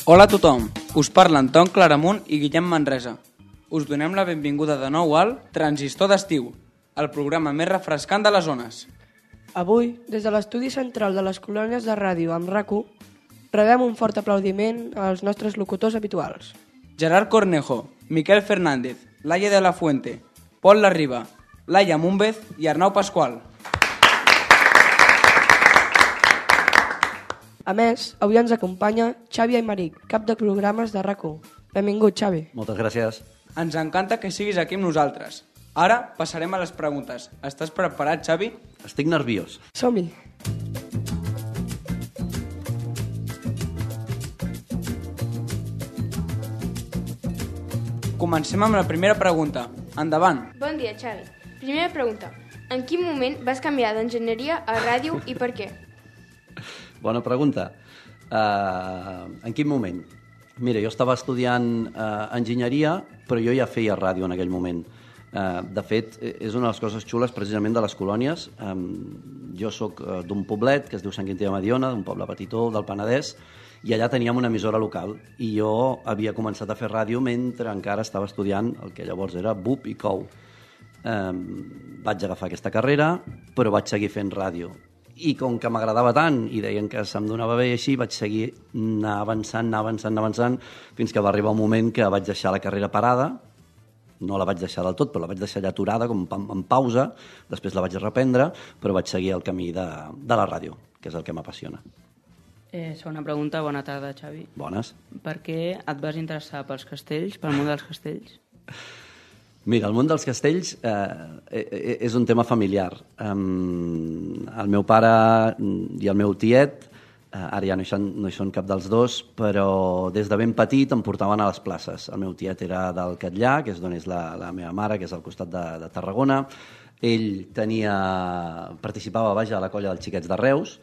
Hola a tothom, us parla Anton Claramunt i Guillem Manresa. Us donem la benvinguda de nou al Transistor d'Estiu, el programa més refrescant de les zones. Avui, des de l'estudi central de les colònies de ràdio amb RAC1, rebem un fort aplaudiment als nostres locutors habituals. Gerard Cornejo, Miquel Fernández, Laia de la Fuente, Pol Larriba, Laia Múmbez i Arnau Pasqual. A més, avui ens acompanya Xavi Aymeric, cap de programes de RAC1. Benvingut, Xavi. Moltes gràcies. Ens encanta que siguis aquí amb nosaltres. Ara passarem a les preguntes. Estàs preparat, Xavi? Estic nerviós. Som-hi. Comencem amb la primera pregunta. Endavant. Bon dia, Xavi. Primera pregunta. En quin moment vas canviar d'enginyeria a ràdio i per què? Bona pregunta. En quin moment? Mira, jo estava estudiant enginyeria, però jo ja feia ràdio en aquell moment. De fet, és una de les coses xules precisament de les colònies. Jo sóc d'un poblet que es diu Sant Quintí de Mediona, d'un poble petitó del Penedès, i allà teníem una emissora local i jo havia començat a fer ràdio mentre encara estava estudiant el que llavors era BUP i COU. Vaig agafar aquesta carrera, però vaig seguir fent ràdio. I com que m'agradava tant i deien que se'm donava bé i així, vaig seguir anar avançant, fins que va arribar un moment que vaig deixar la carrera parada. No la vaig deixar del tot, però la vaig deixar allà aturada, com en pausa. Després la vaig reprendre, però vaig seguir el camí de la ràdio, que és el que m'apassiona. Segona pregunta. Bona tarda, Xavi. Bones. Per què et vas interessar pels castells, pel món dels castells? Mira, el món dels castells és un tema familiar. El meu pare i el meu tiet, ara ja no hi són cap dels dos, però des de ben petit em portaven a les places. El meu tiet era del Catllà, que és d'on és la meva mare, que és al costat de Tarragona. Ell participava a la colla dels xiquets de Reus,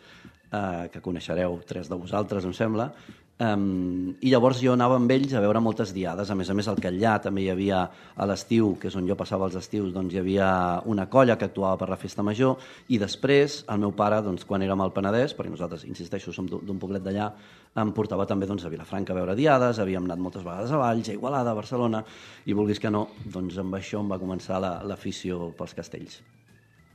que coneixereu 3 de vosaltres, em sembla. I llavors jo anava amb ells a veure moltes diades. A més al Catllà també hi havia a l'estiu, que és on jo passava els estius, doncs hi havia una colla que actuava per la festa major, i després el meu pare, doncs, quan érem al Penedès, perquè nosaltres, insisteixo, som d'un poblet d'allà, em portava també a Vilafranca a veure diades, havíem anat moltes vegades a Valls, a Igualada, a Barcelona, i vulguis que no, doncs amb això em va començar l'afició pels castells.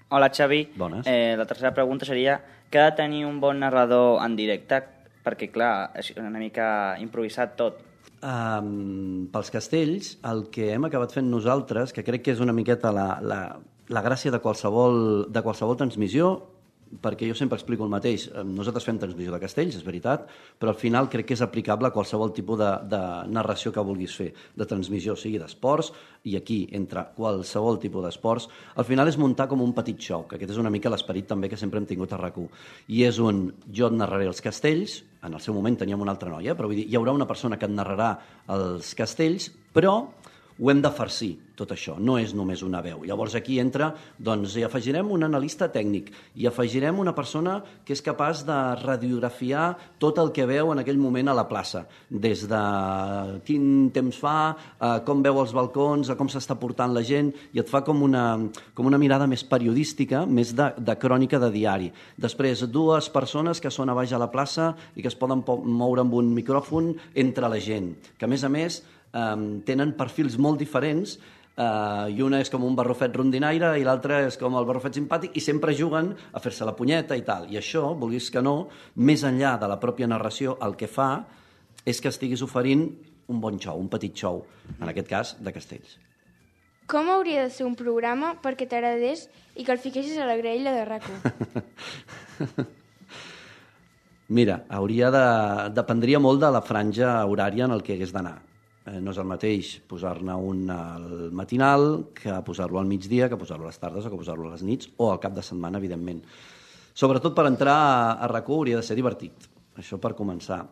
Hola, Xavi. Bones. La tercera pregunta seria que ha de tenir un bon narrador en directe, perquè, clar, és una mica improvisat tot. Pels castells, el que hem acabat fent nosaltres, que crec que és una miqueta la gràcia de qualsevol transmissió, perquè jo sempre explico el mateix. Nosaltres fem transmissió de castells, és veritat, però al final crec que és aplicable a qualsevol tipus de narració que vulguis fer, de transmissió, sigui d'esports, i aquí, entre qualsevol tipus d'esports, al final és muntar com un petit show, que aquest és una mica l'esperit també que sempre hem tingut a RAC1. I és jo et narraré els castells, en el seu moment teníem una altra noia, però vull dir, hi haurà una persona que et narrarà els castells, però ho hem de farcir, tot això, no és només una veu. Llavors aquí entra, doncs hi afegirem un analista tècnic, hi afegirem una persona que és capaç de radiografiar tot el que veu en aquell moment a la plaça, des de quin temps fa, com veu els balcons, a com s'està portant la gent, i et fa com una mirada més periodística, més de crònica de diari. Després, 2 persones que són a baix a la plaça i que es poden moure amb un micròfon entre la gent, que a més tenen perfils molt diferents, i una és com un barrufet rondinaire i l'altra és com el barrufet simpàtic, i sempre juguen a fer-se la punyeta i tal. I això, vulguis que no, més enllà de la pròpia narració, el que fa és que estiguis oferint un bon show, un petit show, en aquest cas de castells. Com hauria de ser un programa perquè t'agradés i que el fiquessis a la graella de RAC1? Mira, dependria molt de la franja horària en el que hagués d'anar. No és el mateix posar-ne un al matinal que posar-lo al migdia, que posar-lo a les tardes o que posar-lo a les nits, o al cap de setmana, evidentment. Sobretot per entrar a RAC1 hauria de ser divertit, això per començar.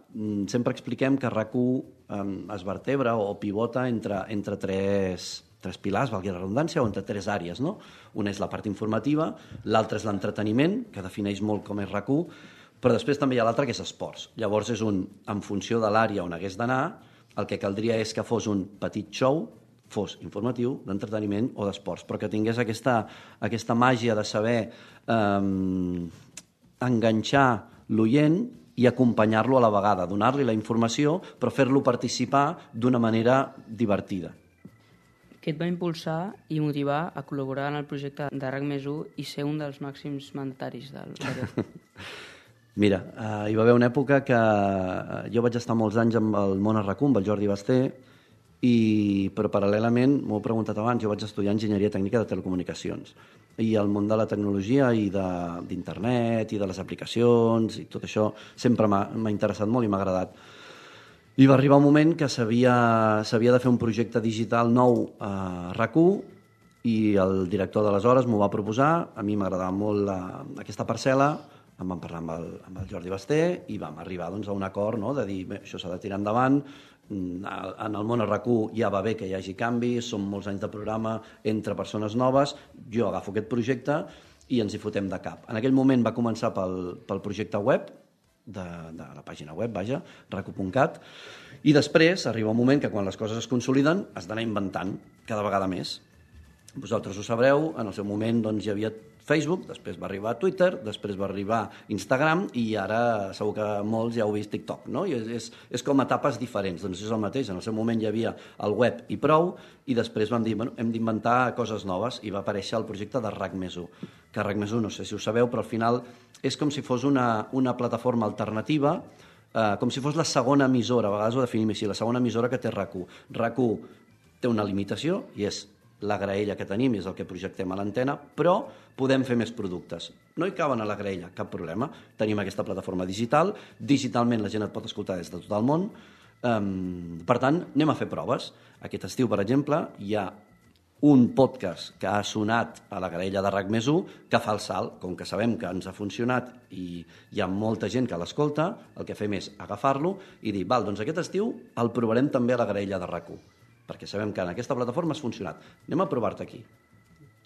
Sempre expliquem que RAC1 es vertebra o pivota entre tres pilars, valgui la redundància, o entre 3 àrees, no? Una és la part informativa, l'altra és l'entreteniment, que defineix molt com és RAC1, però després també hi ha l'altra que és esports. Llavors és en funció de l'àrea on hagués d'anar, el que caldria és que fos un petit show, fos informatiu, d'entreteniment o d'esports, però que tingués aquesta màgia de saber enganxar l'oient i acompanyar-lo a la vegada, donar-li la informació, però fer-lo participar d'una manera divertida. Què et va impulsar i motivar a col·laborar en el projecte de RAC+1 i ser un dels màxims mandataris del grup? Mira, hi va haver una època que jo vaig estar molts anys amb el món a RAC1, amb el Jordi Basté, però paral·lelament, m'ho he preguntat abans, jo vaig estudiar enginyeria tècnica de telecomunicacions i el món de la tecnologia i d'internet i de les aplicacions i tot això sempre m'ha interessat molt i m'ha agradat. I va arribar un moment que s'havia de fer un projecte digital nou a RAC1 i el director d'aleshores m'ho va proposar, a mi m'agradava molt aquesta parcel·la, em vam parlar amb el Jordi Basté i vam arribar doncs, a un acord, no?, de dir, bé, això s'ha de tirar endavant, en el món a RAC1 ja va bé que hi hagi canvis, són molts anys de programa entre persones noves, jo agafo aquest projecte i ens hi fotem de cap. En aquell moment va començar pel projecte web, de la pàgina web, vaja, racu.cat, i després arriba un moment que quan les coses es consoliden has d'anar inventant cada vegada més. Vosaltres ho sabreu, en el seu moment doncs, hi havia Facebook, després va arribar Twitter, després va arribar Instagram i ara segur que molts ja heu vist TikTok, no? I és com etapes diferents, doncs és el mateix. En el seu moment hi havia el web i prou i després vam dir, bueno, hem d'inventar coses noves i va aparèixer el projecte de RAC+1, que RAC+1, no sé si ho sabeu, però al final és com si fos una plataforma alternativa, com si fos la segona emissora, a vegades ho definim així, la segona emissora que té RAC1. RAC1 té una limitació i és la graella que tenim, és el que projectem a l'antena, però podem fer més productes. No hi caben a la graella, cap problema. Tenim aquesta plataforma digital, digitalment la gent et pot escoltar des de tot el món, per tant, anem a fer proves. Aquest estiu, per exemple, hi ha un podcast que ha sonat a la graella de RAC+1 que fa el salt. Com que sabem que ens ha funcionat i hi ha molta gent que l'escolta, el que fem és agafar-lo i dir, val, doncs aquest estiu el provarem també a la graella de RAC1, perquè sabem que en aquesta plataforma has funcionat. Anem a provar-te aquí.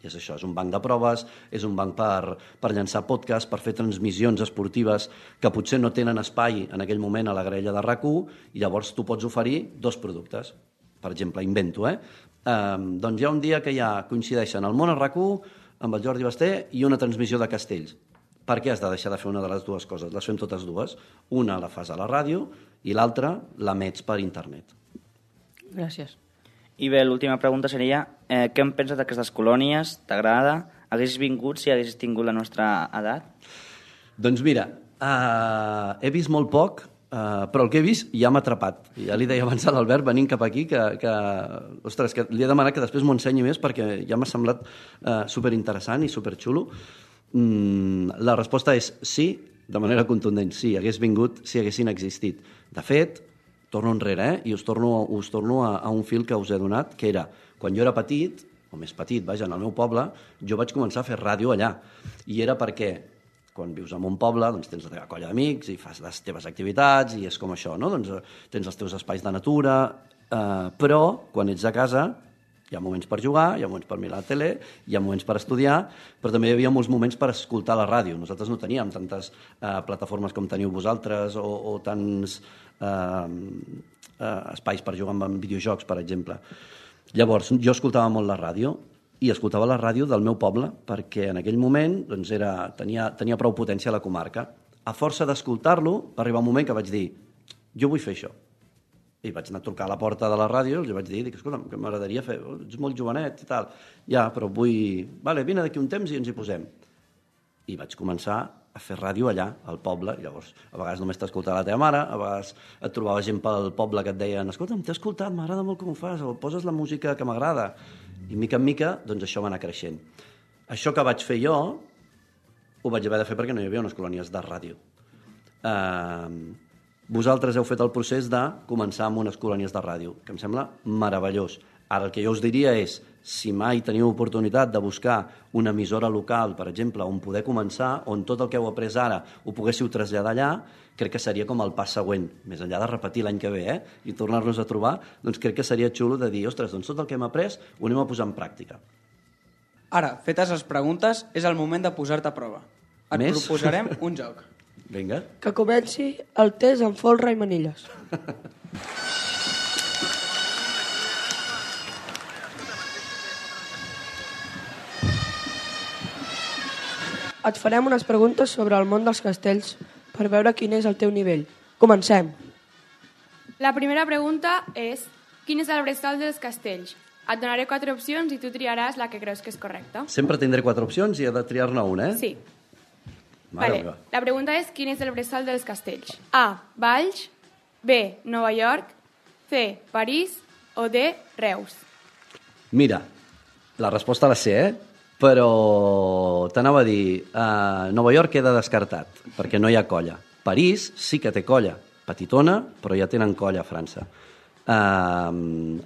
I és això, és un banc de proves, és un banc per llançar podcast, per fer transmissions esportives que potser no tenen espai en aquell moment a la graella de RAC1 i llavors tu pots oferir 2 productes. Per exemple, invento, doncs hi ha un dia que ja coincideixen el món a RAC1 amb el Jordi Basté i una transmissió de castells. Per què has de deixar de fer una de les dues coses? Les fem totes dues. Una la fas a la ràdio i l'altra l'emets per internet. Gràcies. I bé, l'última pregunta seria què en penses d'aquestes colònies? T'agrada? Haguessis vingut si haguessis tingut la nostra edat? Doncs mira, he vist molt poc, però el que he vist ja m'ha atrapat. Ja li deia abans a l'Albert, venint cap aquí, ostres, que li he demanat que després m'ho ensenyi més perquè ja m'ha semblat superinteressant i superxulo. La resposta és sí, de manera contundent, sí, hagués vingut si haguessin existit. De fet, torno enrere, i us torno a un fil que us he donat, que era, quan jo era petit, o més petit, vaja, en el meu poble, jo vaig començar a fer ràdio allà. I era perquè, quan vius en un poble, doncs tens la teva colla d'amics i fas les teves activitats, i és com això, no? Doncs tens els teus espais de natura, però quan ets a casa hi ha moments per jugar, hi ha moments per mirar la tele, hi ha moments per estudiar, però també hi havia molts moments per escoltar la ràdio. Nosaltres no teníem tantes plataformes com teniu vosaltres o tants espais per jugar amb videojocs, per exemple. Llavors, jo escoltava molt la ràdio i escoltava la ràdio del meu poble perquè en aquell moment doncs, tenia prou potència a la comarca. A força d'escoltar-lo, va arribar un moment que vaig dir jo vull fer això. I vaig anar a trucar a la porta de la ràdio i els vaig dir, escolta'm, que m'agradaria fer, ets molt jovenet i tal. Ja, però vull... Vale, vine d'aquí un temps i ens hi posem. I vaig començar a fer ràdio allà, al poble. I llavors, a vegades només t'escoltava la teva mare, a vegades et trobava gent pel poble que et deien escolta'm, t'he escoltat, m'agrada molt com ho fas, o poses la música que m'agrada. I mica en mica, doncs això va anar creixent. Això que vaig fer jo, ho vaig haver de fer perquè no hi havia unes colònies de ràdio. Vosaltres heu fet el procés de començar amb unes colònies de ràdio, que em sembla meravellós. Ara el que jo us diria és, si mai teniu oportunitat de buscar una emissora local, per exemple, on poder començar, on tot el que heu après ara ho poguéssiu traslladar allà, crec que seria com el pas següent, més enllà de repetir l'any que ve, i tornar-nos a trobar, doncs crec que seria xulo de dir, ostres, doncs tot el que hem après ho anem a posar en pràctica. Ara, fetes les preguntes, és el moment de posar-te a prova. Et proposarem un joc. Vinga. Que comenci el test amb folre i manilles. et farem unes preguntes sobre el món dels castells per veure quin és el teu nivell. Comencem. La primera pregunta és: quin és el bressol dels castells? Et donaré 4 opcions i tu triaràs la que creus que és correcta. Sempre tindré 4 opcions i he de triar-ne una, eh? Sí. Mare Vale. meva. La pregunta és: quin és el bressol dels castells? A. Valls, B. Nova York, C. París o D. Reus. Mira, la resposta la sé, però t'anava a dir, Nova York queda descartat, perquè no hi ha colla. París sí que té colla, petitona, però ja tenen colla a França.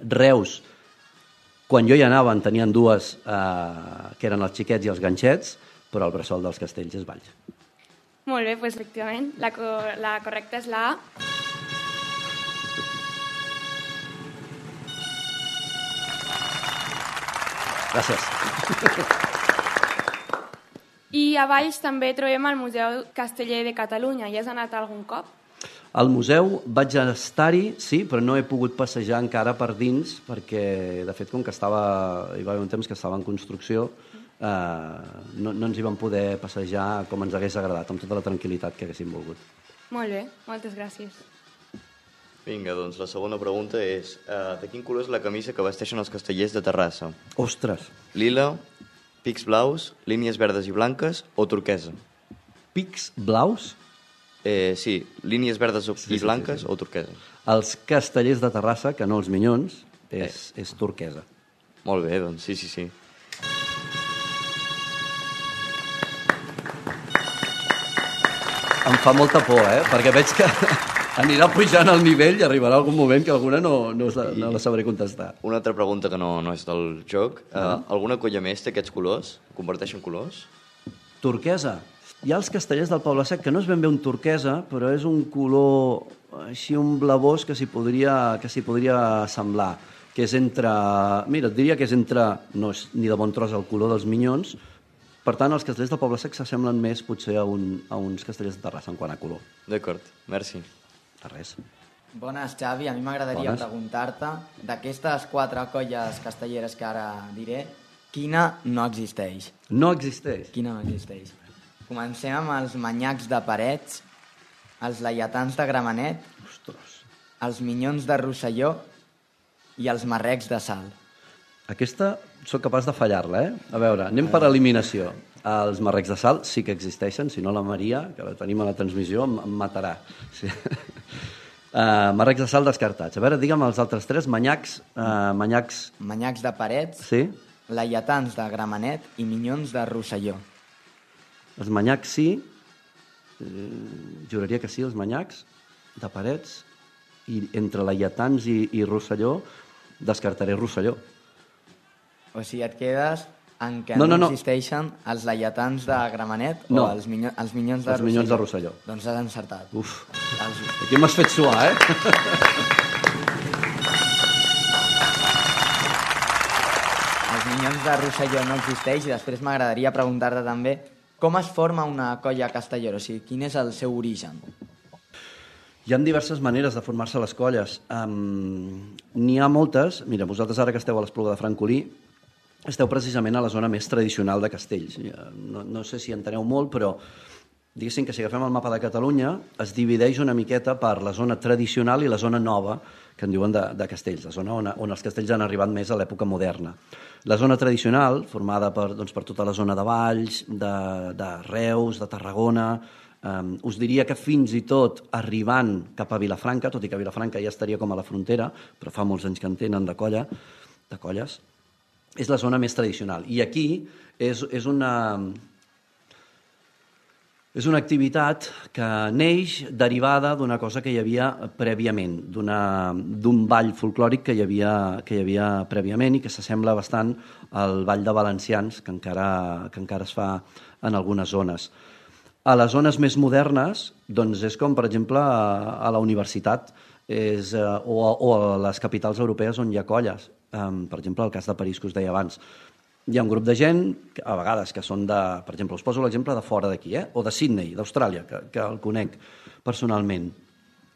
Reus, quan jo hi anava en tenien dues, que eren els xiquets i els ganxets, però el bressol dels castells és Valls. Molt bé, doncs efectivament, la correcta és la A. Gràcies. I a Valls també trobem el Museu Casteller de Catalunya. Hi has anat algun cop? Al museu vaig estar-hi, sí, però no he pogut passejar encara per dins, perquè, de fet, com que hi va haver un temps que estava en construcció, no ens hi vam poder passejar com ens hagués agradat, amb tota la tranquil·litat que haguéssim volgut. Molt bé, moltes gràcies. Vinga, doncs la segona pregunta és de quin color és la camisa que vesteixen els castellers de Terrassa? Ostres, Lila, pics blaus, línies verdes i blanques o turquesa? pics blaus? Sí, línies verdes i blanques o turquesa. Els castellers de Terrassa, que no els minyons, és turquesa. Molt bé, doncs sí. Em fa molta por, perquè veig que anirà pujant el nivell i arribarà algun moment que alguna no la sabré contestar. Una altra pregunta que no és del joc. Alguna colla més té aquests colors? Comparteixen colors? Turquesa. Hi ha els castellers del Poble Sec, que no és ben bé un turquesa, però és un color així, un blavós que s'hi podria semblar, que és entre... Mira, et diria que és entre... No és ni de bon tros el color dels minyons. Per tant, els castellers del Poble Sec s'assemblen més potser a uns castellers de Terrassa en quant a color. D'acord, merci. De res. Bones, Xavi. A mi m'agradaria preguntar-te, d'aquestes 4 colles castelleres que ara diré, quina no existeix? No existeix? Quina no existeix? Comencem amb els manyacs de Parets, els laietans de Gramenet, Ostres. els minyons de Rosselló i els marrecs de Salt. Aquesta sóc capaç de fallar-la, A veure, anem per eliminació. Els marrecs de Salt sí que existeixen, si no la Maria, que la tenim a la transmissió, em matarà. Sí. Marrecs de Salt descartats. A veure, digue'm els altres 3, manyacs... Manyacs de Parets, Sí? laietans de Gramenet i minyons de Rosselló. Els manyacs sí, juraria que sí, els manyacs de Parets, i entre laietans i Rosselló descartaré Rosselló. O sigui, et quedes en què No. existeixen els laietans de Gramenet No. o els minyons de Rosselló? Els minyons de Rosselló. Doncs has encertat. Uf, aquí m'has fet suar, Els minyons de Rosselló no existeix i després m'agradaria preguntar-te també com es forma una colla castellera, o sigui, quin és el seu origen? Hi ha diverses maneres de formar-se les colles. N'hi ha moltes. Mira, vosaltres ara que esteu a l'Espluga de Francolí, esteu precisament a la zona més tradicional de Castells. No sé si enteneu molt, però diguéssim que si agafem el mapa de Catalunya es divideix una miqueta per la zona tradicional i la zona nova, que en diuen de Castells, la zona on els castells han arribat més a l'època moderna. La zona tradicional, formada per tota la zona de Valls, de Reus, de Tarragona, us diria que fins i tot arribant cap a Vilafranca, tot i que Vilafranca ja estaria com a la frontera, però fa molts anys que en tenen de colles, és la zona més tradicional. I aquí és una activitat que neix derivada d'una cosa que hi havia prèviament, d'un ball folclòric que hi havia prèviament i que s'assembla bastant al ball de valencians, que encara es fa en algunes zones. A les zones més modernes, doncs és com, per exemple, a la universitat o a les capitals europees on hi ha colles. Per exemple, el cas de París, que us deia abans. Hi ha un grup de gent, a vegades, que són de... Per exemple, us poso l'exemple de fora d'aquí, o de Sydney, d'Austràlia, que el conec personalment.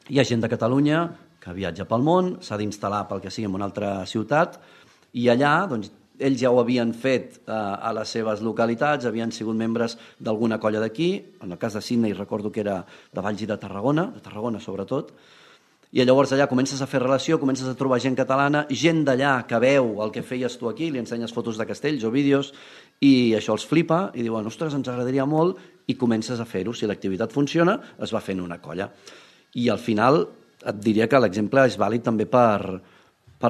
Hi ha gent de Catalunya que viatja pel món, s'ha d'instal·lar pel que sigui en una altra ciutat, i allà doncs, ells ja ho havien fet a les seves localitats, havien sigut membres d'alguna colla d'aquí, en el cas de Sydney recordo que era de Valls i de Tarragona sobretot, i llavors allà comences a fer relació, comences a trobar gent catalana, gent d'allà que veu el que feies tu aquí, li ensenyes fotos de castells o vídeos, i això els flipa, i diuen, ostres, ens agradaria molt, i comences a fer-ho. Si l'activitat funciona, es va fent una colla. I al final et diria que l'exemple és vàlid també per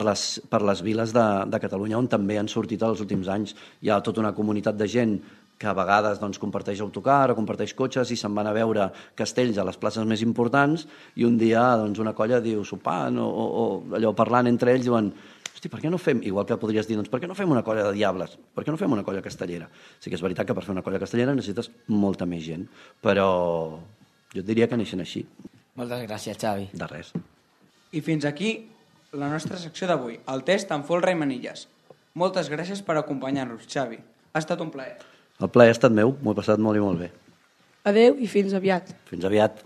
les viles de Catalunya, on també han sortit els últims anys. Hi ha tota una comunitat de gent que a vegades comparteix autocar o comparteix cotxes i se'n van a veure castells a les places més importants, i un dia una colla diu sopant o allò parlant entre ells, diuen, hosti, per què no fem, igual que podries dir, per què no fem una colla de diables? Per què no fem una colla castellera? Sí que és veritat que per fer una colla castellera necessites molta més gent, però jo et diria que neixen així. Moltes gràcies, Xavi. De res. I fins aquí la nostra secció d'avui, el test amb folre i manilles. Moltes gràcies per acompanyar-nos, Xavi. Ha estat un plaer. El plaer ha estat meu, m'ho he passat molt i molt bé. Adeu i fins aviat. Fins aviat.